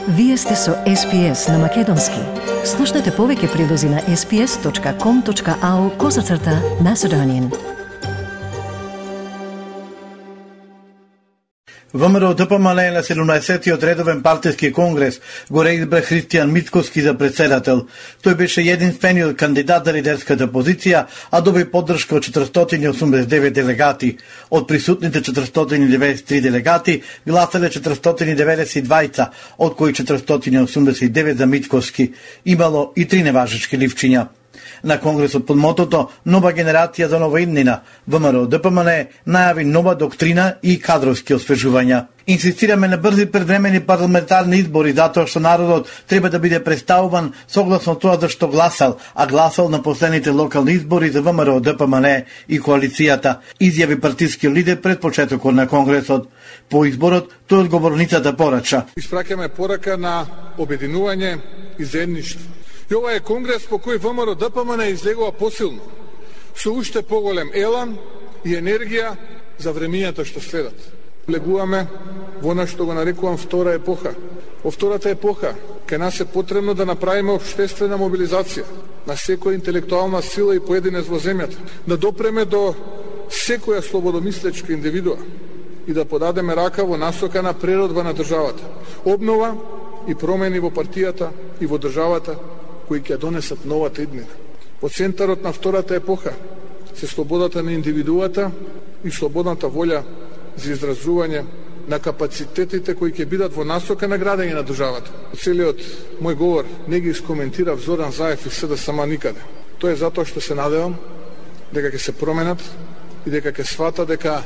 Вие сте со SPS на Македонски. Слушнете повеќе прилози на sps.com.au/Macedonian. ВМРО ДПМН на 17-тиот редовен партиски конгрес го реизбра Христијан Мицкоски за председател. Тој беше единствениот кандидат за лидерската позиција, а доби поддршка од 489 делегати. Од присутните 493 делегати гласале 492, од кои 489 за Мицкоски. Имало и 3 неважечки ливчиња. На конгресот под мотото "Нова генерација за нова иднина", ВМРО ДПМН најави нова доктрина и кадровски освежувања. Инсистираме на брзи предвремени парламентарни избори затоа што народот треба да биде представуван согласно тоа за што гласал, а гласал на последните локални избори за ВМРО ДПМН и коалицијата, изјави партискиот лидер пред почетокот на конгресот. По изборот тој од говорницата порача: "Испраќаме порака на обединување и заедништво. И ова е конгрес по кој ВМРО ДПМН излегува посилно, со уште поголем елан и енергија за времињата што следат. Влегуваме во она што го нарекувам втора епоха. Во втората епоха кај нас е потребно да направиме општествена мобилизација на секоја интелектуална сила и поединец во земјата, да допреме до секоја слободомислечка индивидуа и да подадеме рака во насока на преродба на државата, обнова и промени во партијата и во државата кои ќе донесат новата иднина. Во центарот на втората епоха се слободата на индивидуата и слободната волја за изразување на капацитетите кои ќе бидат во насока на градење на државата. Целиот мој говор не ги искоментирав Зоран Заев и СДСМ никаде. Тоа е затоа што се надевам дека ќе се променат и дека ќе свата дека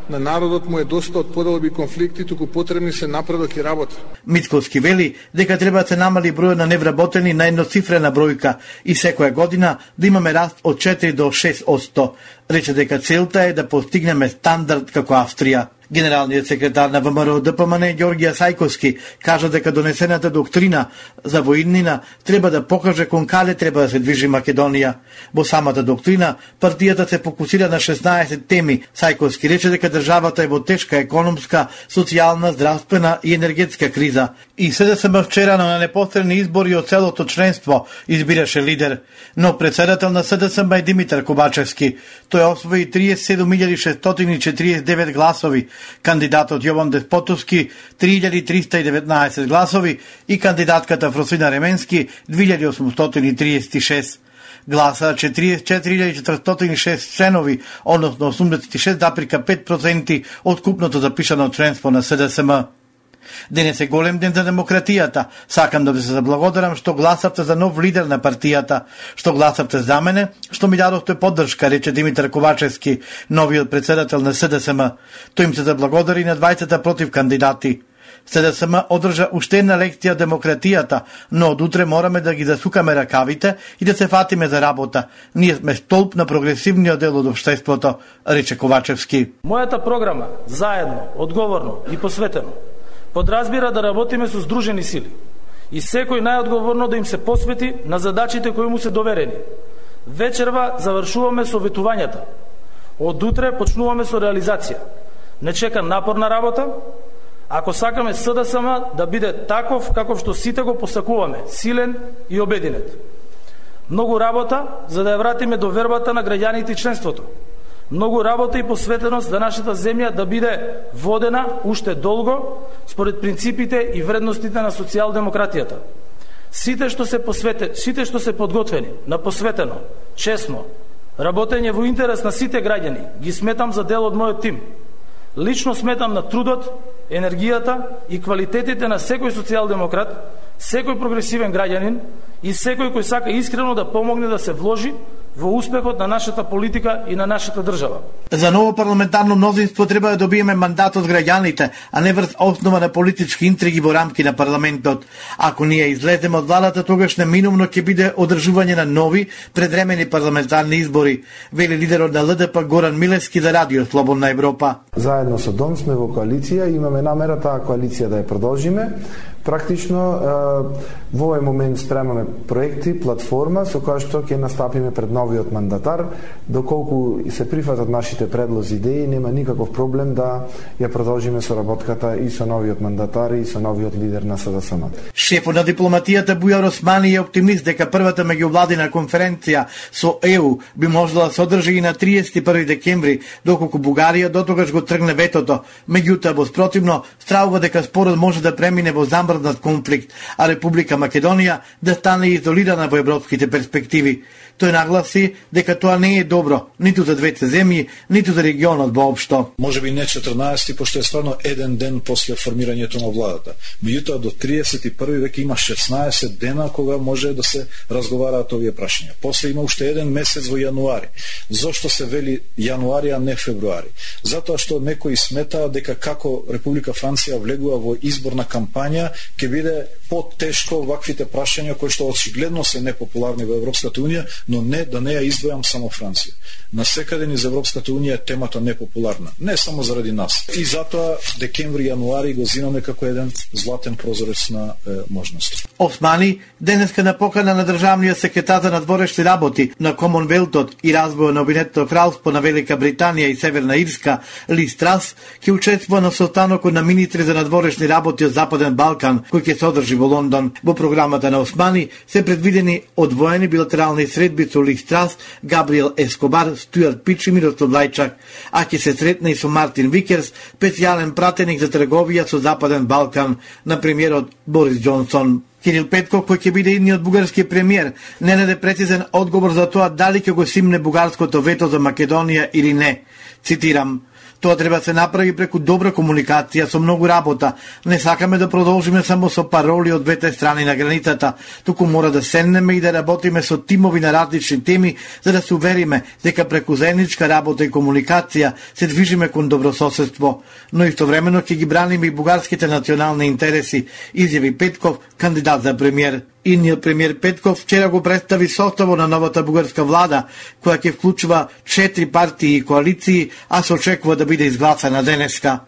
на народот му е доста од поделби конфликти, туку потребни се напредок и работа. Мицкоски вели дека треба да се намали бројот на невработени на едноцифрена бројка и секоја година да имаме раст од 4 до 6%. Рече дека целта е да постигнеме стандард како Австрија. Генералниот секретар на ВМРО ДПМН Ѓорѓија Сајковски кажа дека донесената доктрина за воиднина треба да покаже кон каде треба да се движи Македонија. Во самата доктрина партијата се фокусира на 16 теми. Сајковски рече дека државата е во тешка економска, социјална, здравствена и енергетска криза. И СДСМ вчера на непосредни избори од целото членство избираше лидер, но председател на СДСМ е Димитар Ковачевски. Тој освои 37.649 гласови, кандидатот Јован Деспотовски 3.319 гласови и кандидатката Фросина Ременски 2.836. Гласа 44.406 членови, односно 86,5% од купното запишано членство на СДСМ. Денес е голем ден за демократијата. Сакам да ви се заблагодарам што гласавте за нов лидер на партијата, што гласавте за мене, што ми дадовте поддршка, рече Димитар Ковачевски, новиот председател на СДСМ. Тој им се заблагодари на 20 против кандидати. СДСМ одржа уште една лекција демократијата, но од утре мораме да ги засукаме ракавите и да се фатиме за работа. Ние сме столб на прогресивниот дел од општеството, рече Ковачевски. Мојата програма, заедно, одговорно и посветено, подразбира да работиме со здружени сили и секој најодговорно да им се посвети на задачите кои му се доверени. Вечерва завршуваме со ветувањата. Од утре почнуваме со реализација. Не чека напорна работа, ако сакаме СДСМ да биде таков каков што сите го посакуваме, силен и обединет. Многу работа за да ја вратиме довербата на граѓаните и членството. Многу работа и посветеност за нашата земја да биде водена уште долго според принципите и вредностите на социјалдемократијата. Сите што се подготвени, на посветено, честно, работење во интерес на сите граѓани, ги сметам за дел од мојот тим. Лично сметам на трудот, енергијата и квалитетите на секој социјалдемократ, секој прогресивен граѓанин и секој кој сака искрено да помогне да се вложи во успехот на нашата политика и на нашата држава. За ново парламентарно мнозинство треба да добиеме мандат од граѓаните, а не врз основа на политички интриги во рамки на парламентот. Ако ние излеземе од владата, тогаш неминувно ќе биде одржување на нови предвремени парламентарни избори, вели лидерот на ЛДП Горан Милевски за Радио Слободна Европа. Заедно со ДОМ сме во коалиција и имаме намера таа коалиција да ја продолжиме Практично, во овој момент спремаме проекти, платформа со која што ќе настапиме пред новиот мандатар. Доколку се прифатат нашите предлози, идеи, нема никаков проблем да ја продолжиме соработката и со новиот мандатар и со новиот лидер на СДСМ. Шефот на дипломатијата Бујар Османи е оптимист дека првата меѓувладина конференција со ЕУ би можела да се одржи и на 31 декември, доколку Бугарија дотогаш го тргне ветото. Меѓутоа, во спротивно, стравува дека спорот може да премине во замрзнат конфликт, а Република Македонија да стане изолирана во европските перспективи. Тој нагласи дека тоа не е добро, ниту за двете земји, ниту за регионот воопшто. Може би не 14, пошто е стварно еден ден после формирањето на владата. Меѓутоа, до 31 веќе има 16 дена кога може да се разговараат овие прашања. После има уште еден месец во јануари. Зошто се вели јануари, а не февруари? Затоа што некои сметаат дека како Република Франција влегува во изборна кампања, ќе биде потешко ваквите прашања кои што очигледно се непопуларни во Европската унија, но не да не ја издвојам само Франција. Насекаде низ Европската унија е темата непопуларна, не само заради нас. И затоа декември, јануари го зимаме како еден златен прозорец на можност. Османи денеска на покана на државниот секретар за надворешни работи на Комонвелтот и развој на Обединетото кралство на Велика Британија и Северна Ирска, Лиз Трас, ќе учествува на состанокот на министри за надворешни работи од Западен Балкан, кој ќе се одржи во Лондон. Во програмата на Османи се предвидени одвоени билатерални средби со Лиз Трас, Габриел Ескобар, Стюарт Пич и Мирослав Лајчак, а ќе се сретне и со Мартин Викерс, специјален пратеник за трговија со Западен Балкан на премиерот Борис Џонсон. Кирил Петков, кој ќе биде идниот бугарски премиер, не наде прецизен одговор за тоа дали ќе го симне бугарското вето за Македонија или не. Цитирам: "Тоа треба да се направи преку добра комуникација со многу работа. Не сакаме да продолжиме само со пароли од двете страни на границата, туку мора да седнеме и да работиме со тимови на различни теми за да се увериме дека преку заедничка работа и комуникација се движиме кон добрососедство. Но истовремено ќе ги браниме и бугарските национални интереси", изјави Петков, кандидат за премиер. Идниот премиер Петков вчера го представи составот на новата бугарска влада, која ќе вклучува 4 партии и коалиции, а се очекува да биде изгласана денеска.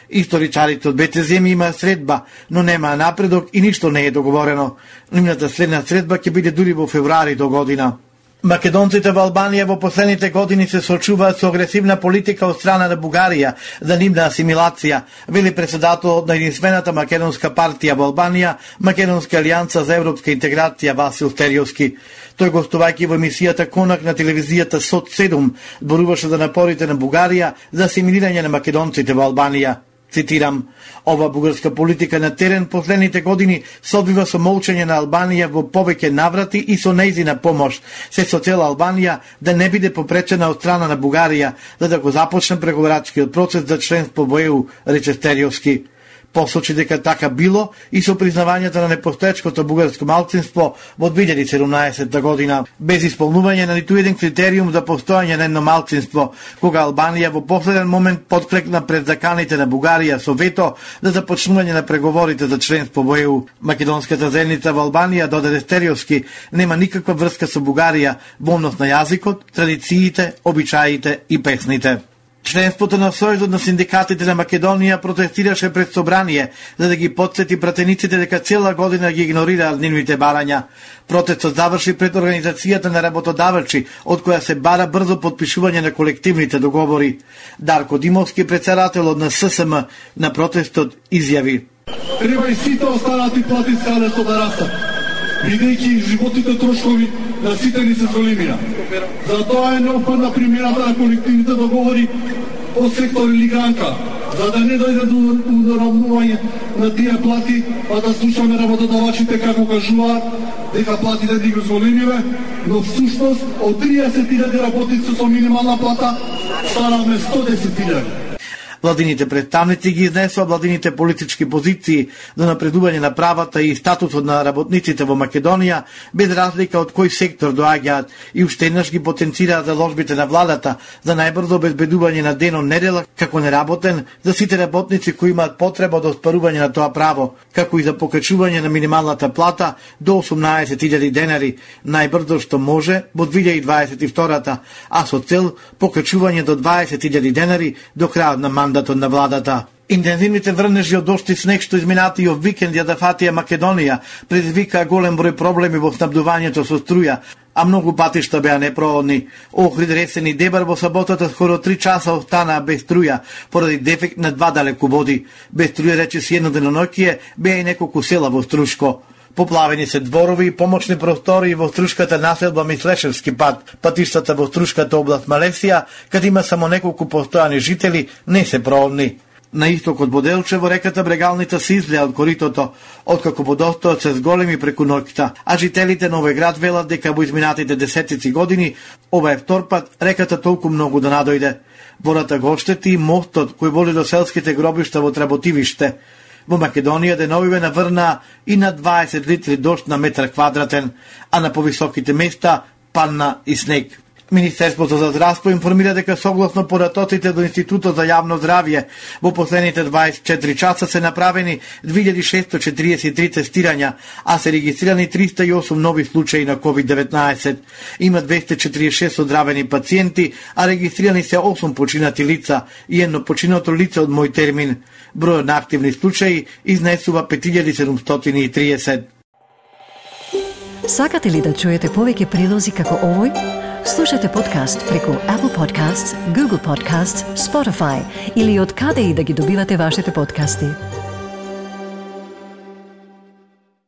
Историчарите од двете земји има средба, но нема напредок и ништо не е договорено. Нивната следна средба ќе биде дури во февруари до година. Македонците во Албанија во последните години се соочуваат со агресивна политика од страна на Бугарија за нивна асимилација, вели председателот на единствената македонска партија во Албанија, Македонска алијанса за европска интеграција Васил Стериовски. Тој, гостувајќи во емисијата Конак на телевизијата СОТ 7, зборуваше за напорите на Бугарија за асимилирање на македонците во Албанија. Цитирам: "Ова бугарска политика на терен последните години се одвива со молчење на Албанија во повеќе наврати и со нејзина помош, се со цел Албанија да не биде попречена од страна на Бугарија за да го започне преговарачкиот процес за членство во ЕУ", рече Стериовски. Посочи дека така било и со признавањето на непостоечкото бугарско малцинство во 2017 година, без исполнување на ниту еден критериум за постојање на едно малцинство, кога Албанија во последен момент подклекна пред заканите на Бугарија со вето за започнување на преговорите за членство во ЕУ. Македонската заедница во Албанија, додаде Стериовски, нема никаква врска со Бугарија во однос на јазикот, традициите, обичаите и песните. Членството на Сојузот на синдикатите на Македонија протестираше пред собрание за да ги потсети пратениците дека цела година ги игнорираат нивните барања. Протестот заврши пред организацијата на работодавачи, од која се бара брзо подпишување на колективните договори. Дарко Димовски, председателот на ССМ на протестот, изјави: "Треба и сите останати плати скалесто да растат, бидејќи животните трошкови на сите ни се зголемија. Затоа е неопходна примената на колективните договори од сектор или гранка, за да не дојде до уравнување на тие плати, па да слушаме работодавачите како кажуваат дека платите ни ги зголемиве, но всушност од 30.000 работници со минимална плата станаме 110.000. Владините представници ги изнесоа владините политички позиции за напредување на правата и статусот на работниците во Македонија, без разлика од кој сектор доаѓаат, и уште еднаш ги потенцираат заложбите на владата за најбрзо обезбедување на денон недела како неработен за сите работници кои имаат потреба од оспарување на тоа право, како и за покачување на минималната плата до 18.000 денари, најбрзо што може во 2022, а со цел покачување до 20.000 денари до крајот на мандатот на владата. Интензивните врнежи од дожд и снег што изминатиот викенд ја зафатија Македонија предизвикаа голем број проблеми во снабдувањето со струја, а многу патишта беа непроходни. Охрид, Ресен и Дебар во саботата скоро 3 часа останаа без струја поради дефект на 2 далеководи. Без струја речиси едно деноноќие беа и неколку села во Струшко. Поплавени се дворови и помошни простори во Струшката населба Мислешевски пат. Патиштата во Струшката област Малесија, каде има само неколку постојани жители, не се проходни. На истокот од Делчево реката Брегалница се излеа од коритото, откако водостојот се зголеми преку ноќта, а жителите на овој град велат дека во изминатите десетици години ова е втор пат реката толку многу да надојде. Водата го оштети и мостот кој води до селските гробишта во Тработивиште. Во Македонија деновиве наврнаа и на 20 литри дожд на метар квадратен, а на повисоките места падна и снег. Министерството за здравство информира дека согласно податоците до Институтот за јавно здравје во последните 24 часа се направени 2643 тестирања, а се регистрирани 308 нови случаи на COVID-19. Има 246 оздравени пациенти, а регистрирани се 8 починати лица и едно починато лице од мој термин. Бројот на активни случаи изнесува 5730. Сакате ли да чуете повеќе прилози како овој? Слушате подкаст преку Apple Podcasts, Google Podcasts, Spotify или од каде и да ги добивате вашите подкасти.